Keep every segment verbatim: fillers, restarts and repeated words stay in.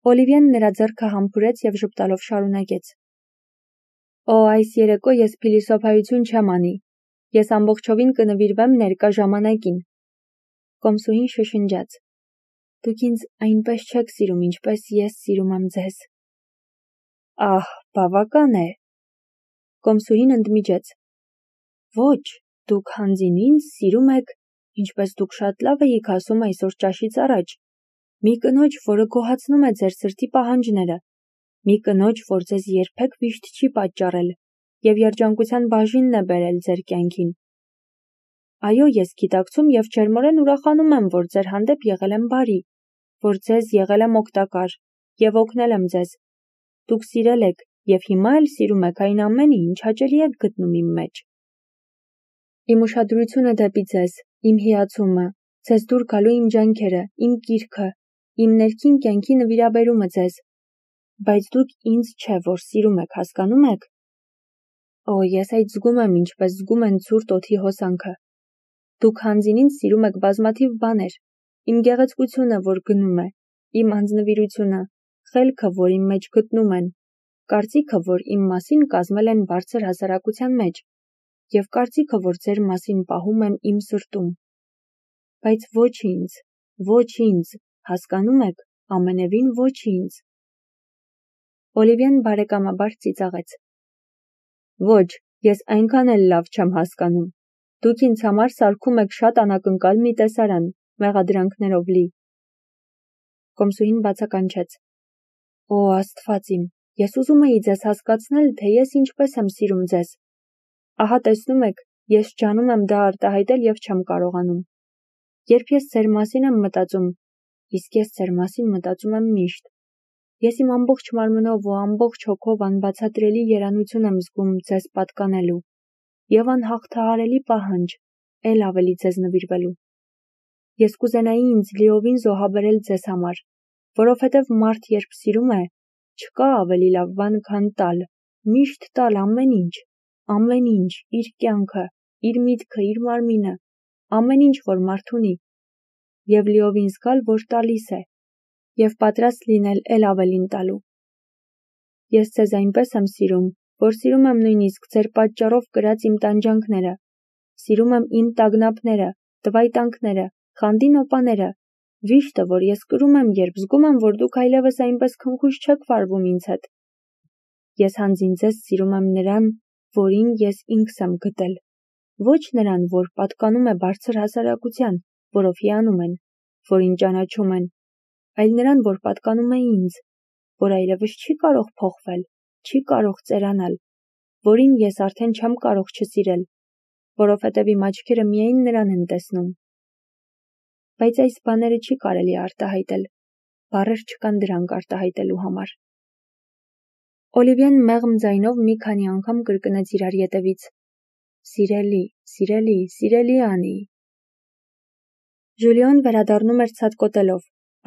Օլիվիեն նրա ձեռքը համբուրեց և ժպտալով շարունակեց. Օ, այս երեկո ես փիլիսոփայություն չեմ անի, ես ամբողջովին կնվիրվեմ ներկա ժամանակին։ Կոմսուհին շշնջաց. Դուք ինձ այնպես չեք սիրում, ինչպես ես սիրում եմ ձեզ։ Ահ, բավական է։ Կոմսուհին ընդմիջեց. Ոչ, դուք հանձին ինձ սիրում եք, ինչպես դուք շատ լավ էիք ասում այսօր ճաշից առաջ, մի կնոջ, որը գոհացնում է ձեր սրտի պահանջները, մի կնոջ, որ ձեզ երբեք վիշտ չի պատճառել և երջանկության բաժինն է բերել ձեր կյանքին։ Այո, ես գիտակցում և ջերմորեն ուրախանում եմ, որ ձեր հանդեպ եղել եմ բարի, որ ձեզ եղել եմ օգտակար և օգնել եմ ձեզ։ Դուք սիրել եք և հիմա էլ սիրում եք այն ամենը, ինչ հաճելի եք գտնում իմ մեջ։ Իմ ուշադրությունը դեպի ձեզ, իմ հիացումը, ձեզ դուր գալու իմ ջանքերը, իմ կիրքը, իմ ներքին կյանքի նվիրաբերումը ձեզ, բայց դուք ինձ չէ, որ սիրում եք, հասկանում եք։ Օ, ես այդ զգում եմ, ինչպես զգում են ցուրտ օդի հոսանքը։ Դուք հանձին ինձ սիրում եք բազմաթիվ բաներ, իմ գեղեցկությունը, որ գնում է, իմ անձնվիրությունը, խելքը, որ իմ մեջ գտնում են, կարծիքը, որ իմ մասին կազմել են բարձր հասարակության մեջ, և կարծիքը, որ ձեր մասին պահում եմ իմ սրտում։ Բայց ոչ ինձ, ոչ ինձ, հասկանում եք, ամենևին ոչ ինձ։ Օլիվիեն բարեկամաբար ծիծաղեց. Ոչ, ես այնքան էլ լավ չեմ հասկանում։ Դուք ինձ համար սարքում եք շատ անակնկալ մի տեսարան, մեղադրանքներով լի։ Կոմսուհին բացականչեց. Օ, Աստված իմ, ես ուզում էի ձեզ հասկացնել, թե ես ինչպես եմ սիրում ձեզ։ Ահա տեսնում եք, ես ջանում եմ դա արտահայտել և չեմ կարողանում։ Երբ ես ձեր մասին եմ մտածում, իսկ ես ձեր մասին մտածում եմ միշտ, ես իմ ամբողջ մարմնով ու ամբողջ հոգով անբացատրելի երանություն եմ զգում ձեզ պատկանելու և անհաղթահարելի պահանջ, էլ ավելի ձեզ նվիրվելու։ Ես կուզենայի ինձ լիովին զոհաբերել ձեզ համար, որովհետև մարդ երբ սիրում է, չկա ավելի լավ բան, քան տալ, միշտ տալ ամեն ինչ, ամեն ինչ, իր կյանքը, իր միտքը, իր մարմինը, ամեն ինչ, որ մարդ ունի, և լիովին զգալ, որ տալիս է, և պատրաստ լինել էլ ավելին տալու։ Ես ձեզ այնպես եմ սիրում, որ սիրում եմ նույնիսկ ձեր պատճառով կրած իմ տանջանքները, սիրում եմ իմ տագնապները, տվայտանքները, խանդի նոպաները, վիշտը, որ ես կրում եմ, երբ զգում եմ, որ դուք այլևս այնպես քնքուշ չեք վարվում ինձ հետ։ Ես հանձին ձեզ սիրում եմ նրան, որին ես ինքս եմ գտել, ոչ նրան, որ պատկանում է բարձր հասարակության, որով հիանում են, որին ճանաչում են, այլ նրան, որ պատկանում է ինձ, որ այլևս չի կարող փոխվել, չի կարող ծերանալ, որին ես արդեն չեմ կարող չսիրել, որովհետև իմ աչքերը միայն նրան են տեսնում։ Բայց այս բաները չի կարելի արտահայտել, բառեր չկան դրանք արտահայտելու համար։ Օլիվիեն մեղմ ձայնով մի քանի անգամ կրկնեց իրար ետևից. Սիրելի, սիրելի, սիրելի Անի։ Ժուլիոն վերադառնում էր ցատկոտելով,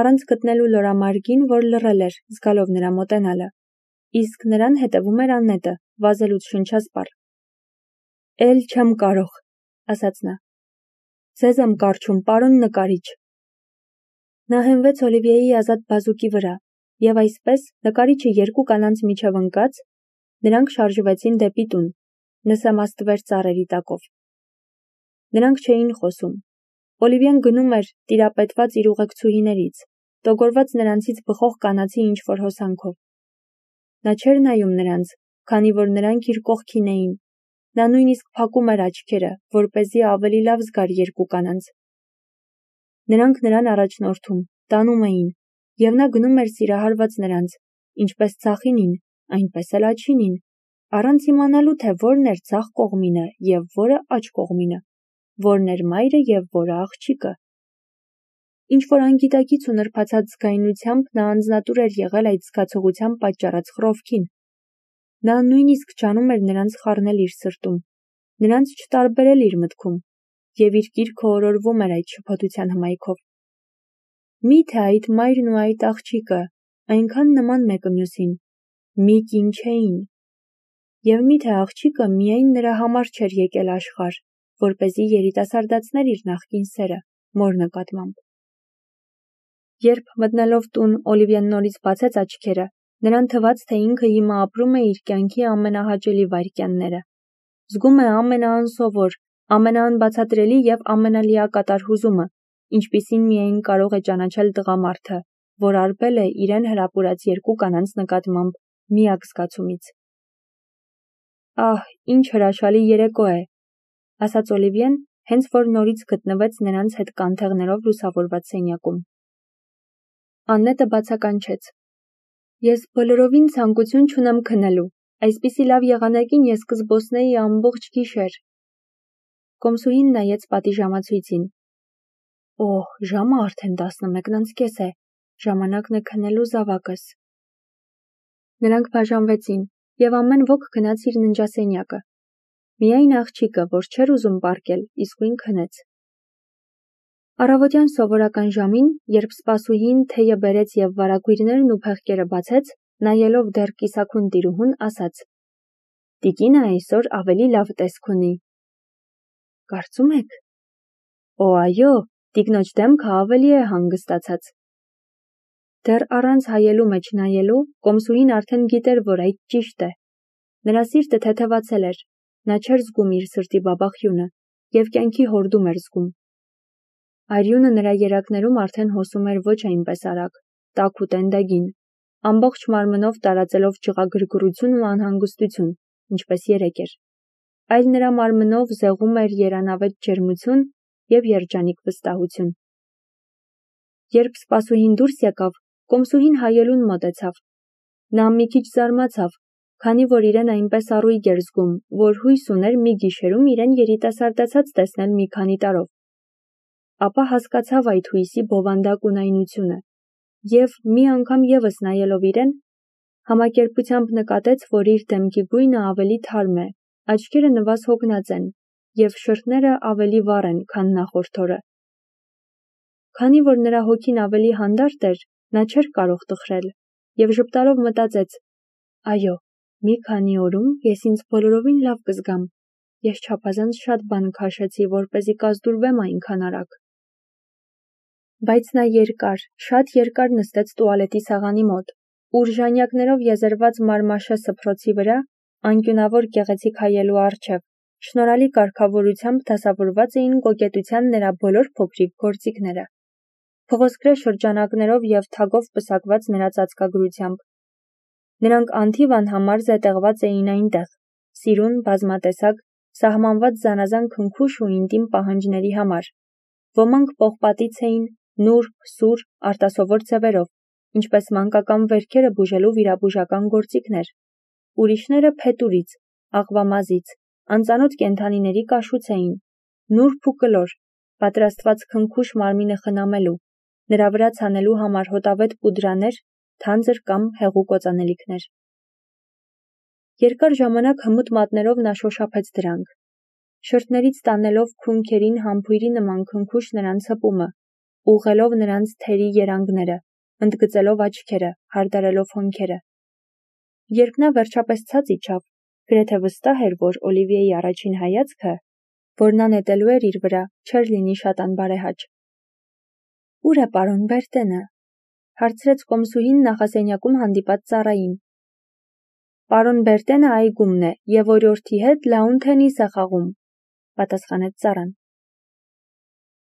առանց գտնելու լորամարգին, որ լռել էր, զգալով նրա մոտենալը, իսկ նրան հետևում էր Աննետը, վազելուց շնչասպառ։ Էլ չեմ կարող, ասաց նա։ Ձեզ եմ կարչում, պարոն նկարիչ։ Նա հենվեց Օլիվիեի ազատ բազուկի վրա, և այսպես, նկարիչը երկու կանանց միջև ընկած, նրանք շարժվեցին դեպի տուն, նսեմաստվեր ծառերի տակով։ Նրանք չէին խոսում։ Օլիվիեն գնում էր, տիրապետված իր ուղեկցուհիներից, տոգորված նրանցից բխող կանացի ինչ-որ հոսանքով։ Նա չէր նայում նրանց, քանի որ նրանք իր կողքին էին։ Նա նույնիսկ փակում էր աչքերը, որպեսզի ավելի լավ զգար երկու կանանց։ Նրանք նրան առաջնորդում, տանում էին, և նա գնում էր սիրահարված նրանց, ինչպես ձախինին, այնպես էլ աջինին, առանց իմանալու, թե որն էր ձախ կողմինը և որը աջ կողմինը, որն էր մայրը և որը աղջիկը։ Ինչ-որ անգիտակից ու նրբացած զգայունությամբ նա անձնատուր էր եղել այդ զգացողության պատճառած խռովքին։ Նա նույնիսկ ջանում էր նրանց խառնել իր սրտում, նրանց չտարբերել իր մտքում, և իր կիրքը օրորվում էր այդ շփոթության հմայքով։ Մի՞թե այդ մայրն ու այդ աղջիկը այնքան նման մեկը մյուսին, մի կին չէին։ Եվ մի՞թե աղջիկը միայն նրա համար չէր եկել աշխարհ, որպեսզի երիտասարդացներ իր նախկին սերը, մոր նկատմամբ։ Երբ մտնելով տուն Օլիվիան նորից բացեց աչքերը, նրան թվաց, թե ինքը հիմա ապրում է իր կյանքի ամենահաճելի վայրկյանները։ Զգում է ամենաանսովոր, ամենաանբացատրելի և ամենալիակատար հուզումը, ինչպիսին միայն կարող է ճանաչել տղամարդը, որ արբել է իրեն հրապուրած երկու կանանց նկատմամբ միակ զգացումից։ «Ահ, ինչ հրաշալի երեկո է», ասաց Օլիվիեն, հենց որ նորից գտնվեց նրանց հետ կանթեղներով լուսավորված սենյակում։ Աննետը բացականչեց. «Ես բոլորովին ցանկություն չունեմ քնելու, այսպիսի լավ եղանակին ես կզբոսնեի ամբողջ գիշեր»։ Կոմսուհին նայեց պատիժամացույցին. «Օհ, ժամը արդեն տասնմեկն անց կես է, ժամանակն է քնելու զավակս»։ Նրանք բաժանվեցին, և ամեն ոք գնաց իր ննջասենյակը։ Միայն աղջիկը, որ չէր ուզում պառկել, իսկույն քնեց։ Առավոտյան սովորական ժամին, երբ սպասուհին թեյը բերեց և վարագույրներն ու փեղկերը բացեց, նայելով դեռ կիսաքուն տիրուհուն, ասաց. «Տիկինը այսօր ավելի լավ տեսք ունի»։ «Կարծում եք»։ «Օ, այո, տիկնոջ դեմքը ավելի է հանգստացած»։ Դեռ առանց հայելու մեջ նայելու, կոմսուհին արդեն գիտեր, որ այդ ճիշտ է։ Նրա սիրտը թեթևացել էր, նա չէր զգում իր սրտի բաբախյունը և կյանքի հորդում էր զգում։ Արյունը նրա երակներում արդեն հոսում էր ոչ այնպես արագ, տաք ու տենդագին, ամբողջ մարմնով տարածելով ջղագրգռություն ու անհանգստություն, ինչպես երեկ էր, այլ նրա մարմնով զեղում էր երանավետ ջերմություն և երջանիկ վստահություն։ Երբ սպասուհին դուրս եկավ, կոմսուհին հայելուն մոտեցավ։ Նա մի քիչ զարմացավ, քանի որ իրեն այնպես առույգ էր զգում, որ հույս ուներ մի գիշերում իրեն երիտասարդացած տեսնել մի քանի տարով։ Ապա հասկացավ այդ հույսի բովանդակ ունայնությունը և, մի անգամ ևս նայելով իրեն, համակերպությամբ նկատեց, որ իր դեմքի գույնը ավելի թարմ է, աչքերը նվազ հոգնած են և շրթները ավելի վառ են, քան նախորդ օրը։ Քանի որ նրա հոգին ավելի հանդարտ էր, նա չէր կարող տխրել և ժպտալով մտածեց. «Այո, մի քանի օրում ես ինձ բոլորովին լավ կզգամ, ես չափազանց շատ բան քաշեցի, որպեսզի կազդուրվեմ այնքան արագ»։ Բայց նա երկար, շատ երկար նստեց տուալետի սեղանի մոտ, ուր ժանյակներով եզերված մարմաշե սփռոցի վրա, անկյունավոր գեղեցիկ հայելու առջև, շնորհալի կարգավորությամբ դասավորված էին կոկետության նրա բոլոր փոքրիկ գործիքները, փղոսկրե շրջանակներով և թագով պսակված նրա ծածկագրությամբ։ Նրանք անթիվ անհամար զետեղված էին այնտեղ, սիրուն, բազմատեսակ, սահմանված զանազան քնքուշ ու ինտիմ պահանջների համար։ Ոմանք պողպատից էին, նուրբ, սուր, արտասովոր ձևերով, ինչպես մանկական վերքերը բուժելու վիրաբուժական գործիքներ, ուրիշները փետուրից, աղվամազից, անծանոթ կենդանիների կաշուց էին, նուրբ ու կլոր, պատրաստված քնքուշ մարմինը խնամելու, նրա վրա ցանելու համար հոտավետ պուդրաներ, թանձր կամ հեղուկ օծանելիքներ։ Երկար ժամանակ հմուտ մատներով նա շոշափեց դրանք, շրթներից տանելով քունքերին համբույրի նման քնքուշ նրանց հպումը, ուղղելով նրանց թերի երանգները, ընդգծելով աչքերը, հարդարելով հոնքերը։ Երբ նա վերջապես ցած իջավ, գրեթե վստահ էր, որ Օլիվիեի առաջին հայացքը, որ նա նետելու էր իր վրա, չէր լինի շատ անբարեհաճ։ «Ո՞ւր է պարոն Բերտենը», հարցրեց կոմսուհին նախասենյակում հանդիպած ծառային։ «Պարոն Բերտենը այգումն է և օրիորդի հետ լաուն թենիս է խաղում», պատասխանեց ծառան։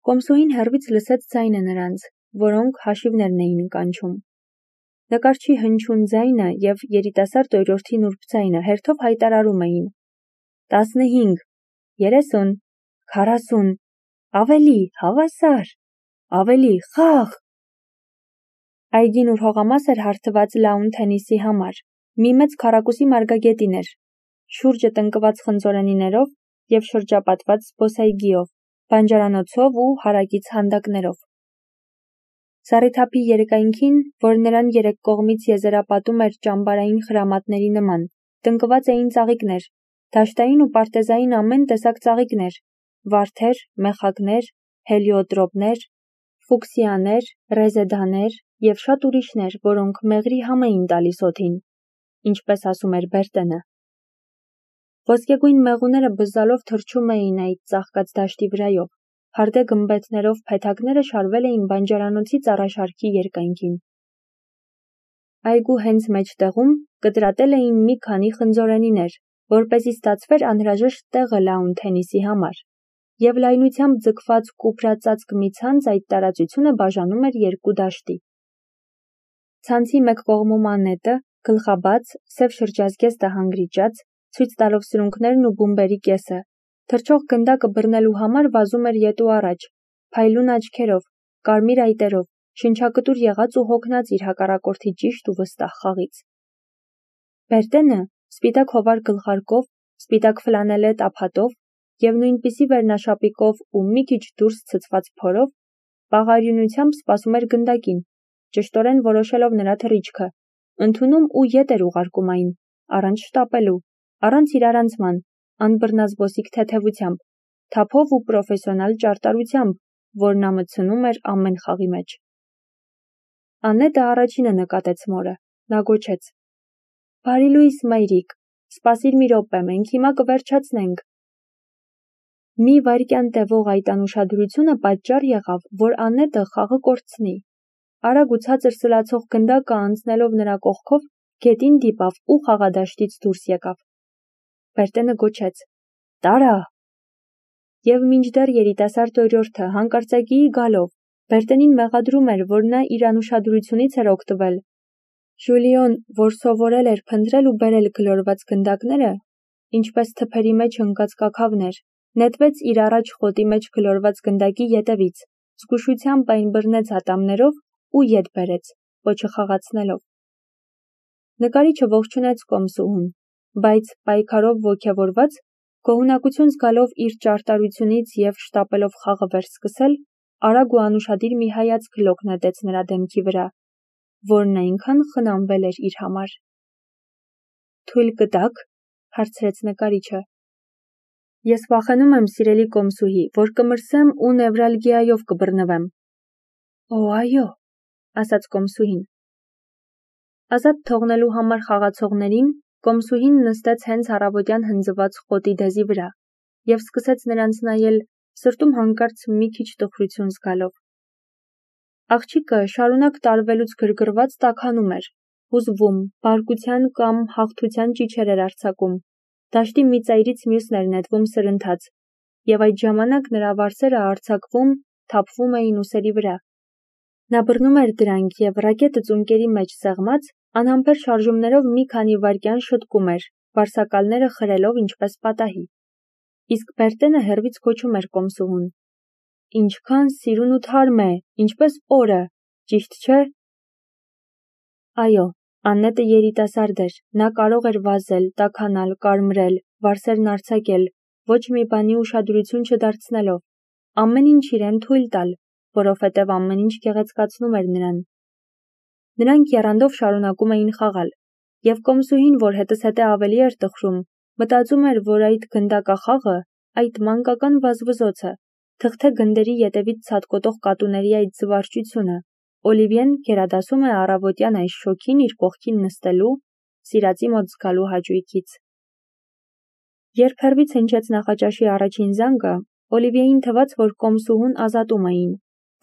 Կոմսուհին հեռվից լսեց ձայնը նրանց, որոնք հաշիվներն էին կանչում։ Նկարչի հնչյուն ձայնը և երիտասարդ օրիորդի նուրբ ձայնը հերթով հայտարարում էին. «Տասնհինգ, երեսուն, քառասուն, ավելի, հավասար, ավելի, խաղ»։ Այգին, ուր հողամաս էր հարթված լաուն թենիսի համար, մի մեծ քառակուսի մարգագետին էր, շուրջը տնկված խնձորենիներով և շրջապատված զբոսայգիով, բանջարանոցով ու հարակից հանդակներով։ Զառիթափի երկայնքին, որ նրան երեք կողմից եզերապատում էր ճամբարային խրամատների նման, տնկված էին ծաղիկներ, դաշտային ու պարտեզային ամեն տեսակ ծաղիկներ, վարդեր, մեխակներ, հելիոտրոպներ, ֆուկսիաներ, ռեզեդաներ և շատ ուրիշներ, որոնք մեղրի համ էին տալիս օդին, ինչպես ասում էր Բերտենը։ Ոսկեգույն մեղուները բզզալով թռչում էին այդ ծաղկած դաշտի վրայով, Հարդե գմբեթներով փեթակները շարվել էին բանջարանոցի ծառաշարքի երկայնքին։ Այգու հենց մեջտեղում կտրատել էին մի քանի խնձորենիներ, որպեսզի ստացվեր անհրաժեշտ տեղը լաուն թենիսի համար, և լայնությամբ ձգված կուպրածածկ մի ցանց այդ տարածությունը բաժանում էր երկու դաշտի։ Ցանցի մեկ կողմում Աննետը, գլխաբաց, սև շրջազգեստը հանգրիճած, ցույց տալով սրունքներն ու բումբերի կեսը, թռչող գնդակը բռնելու համար վազում էր ետ ու առաջ, փայլուն աչքերով, կարմիր այտերով, շնչակտուր եղած ու հոգնած իր հակառակորդի ճիշտ ու վստահ խաղից։ Բերտենը, սպիտակ հովար գլխարկով, սպիտակ ֆլանելետ ափատով և նույնպիսի վերնաշապիկով ու մի քիչ դուրս ցցված փորով, բաղարյունությամբ սպասում էր գնդակին, ճշտորեն որոշելով նրա թռիչքը, ընդունում ու ետ էր ուղարկում այն, առանց շտապելու, առանց իրարանցման, անբռնազբոսիկ թեթևությամբ, թափով ու պրոֆեսիոնալ ճարտարությամբ, որ նա մտցնում էր ամեն խաղի մեջ։ Աննետը առաջինը նկատեց մորը, նա գոչեց. «Բարի լույս, մայրիկ, սպասիր մի րոպե, մենք հիմա կվերջացնենք»։ Մի վայրկյան տևող այդ անուշադրությունը պատճառ եղավ, որ Աննետը խաղը կորցնի։ Արագ ու ցածր սլացող գնդակը անցնելով նրա կողքով, գետին դիպավ ու խաղադաշտից դուրս եկավ։ Բերտենը գոչեց. «Տարա»։ Եվ մինչդեռ երիտասարդ օրիորդը հանկարծակիի գալով, Բերտենին մեղադրում էր, որ նա իր անուշադրությունից էր օգտվել։ Ժուլիոն, որ սովորել էր փնտրել ու բերել գլորված գնդակները, ինչպես թփերի մեջ ընկած կաքավներ, նետվեց իր առաջ խոտի մեջ գլորված գնդակի ետևից, զգուշությամբ այն բռնեց ատամներով ու ետ բերեց, պոչը խաղացնելով։ Նկարիչը ողջունեց կոմսուհուն, բայց, պայքարով ոգևորված, գոհունակություն զգալով իր ճարտարությունից և շտապելով խաղը վերսկսել, արագ ու անուշադիր մի հայացք լոկ նետեց նրա դեմքի վրա, որն այնքան խնամվել էր իր համար։ «Թույլ կտաք», հարցրեց նկարիչը։ «Ես վախենում եմ, սիրելի կոմսուհի, որ կմրսեմ ու նևրալգիայով կբռնվեմ»։ «Օ, այո», ասաց կոմսուհին։ Ազատ թողնելու համար խաղացողներին կոմսուհին նստեց հենց առավոտյան հնձված խոտի դեզի վրա և սկսեց նրանց նայել, սրտում հանկարծ մի քիչ տխրություն զգալով։ Աղջիկը շարունակ տարվելուց գրգռված տաքանում էր, հուզվում, բարկության կամ հաղթության ճիչեր էր արձակում, դաշտի մի ծայրից մյուսն էր նետվում սրընթաց, և այդ ժամանակ նրա վարսերը արձակվում, թափվում էին ուսերի վրա։ Նա բռնում էր դրանք և ռակետը ծունկերի մեջ սեղմած, անհամբեր շարժումներով մի քանի վայրկյան շտկում էր, վարսակալները խրելով ինչպես պատահի։ Իսկ Բերտենը հեռվից գոչում էր կոմսուհուն. «Ինչքան սիրուն ու թարմ է, ինչպես օրը, ճիշտ չէ»։ Այո, Աննետը երիտասարդ էր, նա կարող էր վազել, տաքանալ, կարմրել, վարսերն արձակել, ոչ մի բանի ուշադրություն չդարձնելով, ամեն ինչ իրեն թույլ տալ, որովհետև ամեն ինչ գեղեցկացնում էր նրան։ Նրանք եռանդով շարունակում էին խաղալ, և կոմսուհին, որ հետզհետե ավելի էր տխրում, մտածում էր, որ այդ գնդակախաղը, այդ մանկական վազվզոցը, թղթե գնդերի ետևից ցատկոտող կատուների այդ զվարճությունը, Օլիվիեն գերադասում է առավոտյան այս շոգին իր կողքին նստելու, սիրածի մոտ զգալու հաճույքից։ Երբ հեռվից հնչեց նախաճաշի առաջին զանգը, Օլիվիեին թվաց, որ կոմսուհուն ազատում էին,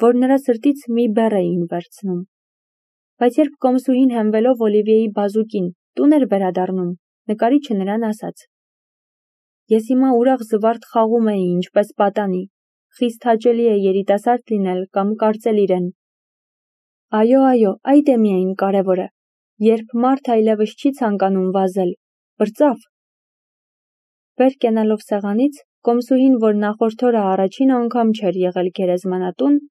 որ նրա սրտից մի բեռ էին վերցնում։ Բայց երբ կոմսուհին հենվելով Օլիվիեի բազուկին տուն էր վերադառնում, նկարիչը նրան ասաց. «Ես հիմա ուրախ զվարթ խաղում էի, ինչպես պատանի, խիստ հաճելի է երիտասարդ լինել կամ կարծել իրեն»։ Այո, այո, այդ է միայն կարևորը, երբ մարդ այլևս չի ցանկանում վազել, պրծավ։ Վեր կենալով սեղանից, կոմսուհին, որ նախորդ օրը առաջին անգամ չէր եղել գերեզմանատուն,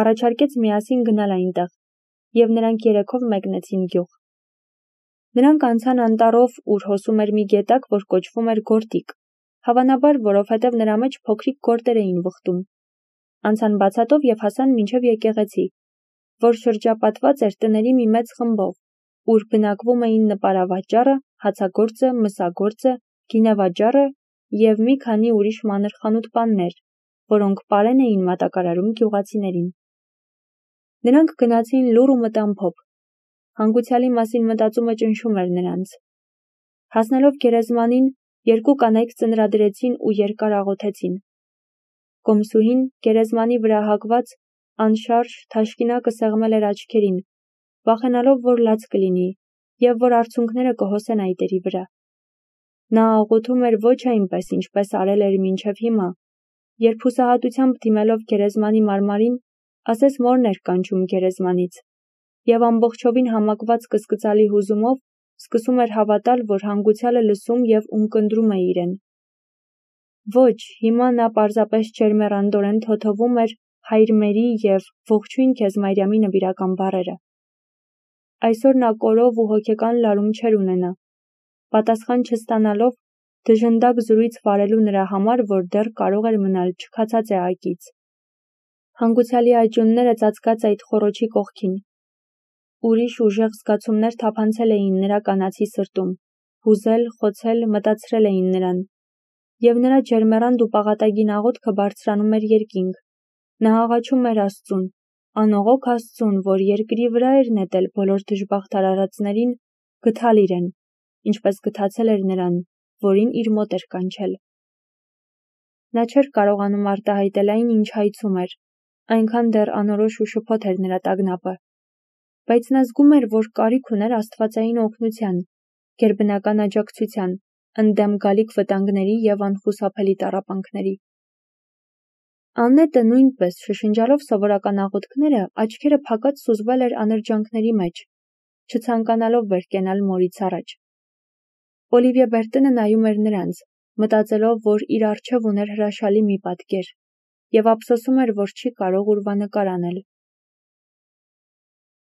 առաջարկեց միասին գնալ այնտեղ, և նրանք երեքով մեկնեցին գյուղ։ Նրանք անցան անտառով, ուր հոսում էր մի գետակ, որ կոչվում էր Գորտիկ, հավանաբար, որովհետև նրա մեջ փոքրիկ գորտեր էին վխտում։ Անցան բացատով և հասան մինչև եկեղեցի, որ շրջապատված էր տների մի մեծ խմբով, ուր բնակվում էին նպարավաճառը, հացագործը, մսագործը, գինեվաճառը և մի քանի ուրիշ մանր խանութպաններ, որոնք պարեն էին մատակարարում գյուղացիներին։ Նրանք գնացին լուռ ու մտամփոփ։ Հանգուցյալի մասին մտածումը ճնշում էր նրանց։ Հասնելով գերեզմանին, երկու կանայք ծնրադրեցին ու երկար աղոթեցին։ Կոմսուհին գերեզմանի վրա հագված անշարժ թաշկինակը սեղմել էր աչքերին, վախենալով, որ լաց կլինի, և որ արցունքները կհոսեն այտերի վրա։ Նա աղոթում էր ոչ այնպես, ինչպես արել էր մինչև հիմա, երբ հուսահատությամբ դիմելով գերեզմանի մարմարին, ասես մորն էր կանչում գերեզմանից, և ամբողջովին համակված կսկծալի հուզումով սկսում էր հավատալ, որ հանգուցյալը լսում և ունկնդրում է իրեն։ Ոչ, հիմա նա պարզապես ջերմեռանդորեն թոթովում էր «Հայր մերի» և «Ողջույն քեզ Մարիամի» նվիրական բառերը։ Այսօր նա կորով ու հոգեկան լարում չէր ունենա, պատասխան չստանալով դժնդակ զրույց վարելու նրա համար, որ դեռ կարող էր մնալ չքացած էակից։ Հանգուցյալի այճունները ծածկած այդ խոռոչի կողքին։ Ուրիշ ուժեղ զգացումներ թափանցել էին նրա կանացի սրտում, հուզել, խոցել, մտածրել էին նրան։ Եվ նրա ջերմեռանդ ու պաղատագին աղոթքը բարձրանում էր երկինք։ Նա աղաչում էր Աստծուն, անողոք Աստծուն, որ երկրի վրա էր նետել բոլոր դժբախտ արարածներին, գթալ իրեն, ինչպես գթացել էր նրան, որին իր մոտ էր կանչել։ Նա չէր կարողանում արտահայտել այն, ինչ հայցում էր, այնքան դեռ անորոշ ու շփոթ էր նրա տագնապը։ Բայց նա զգում էր, որ կարիք ուներ աստվածային օգնության, գերբնական աջակցության, ընդդեմ գալիք վտանգների և անխուսափելի տառապանքների։ Աննետը նույնպես, շշնջալով սովորական աղոթքները, աչքերը փակած սուզվել էր անրջանքների մեջ, չցանկանալով վեր կենալ մորից առաջ։ Օլիվիե Բերտենը նայում էր նրանց, մտածելով, որ իր առջև ուներ հրաշալի մի պատկեր, և ափսոսում էր, որ չի կարող ուրվանկար անել։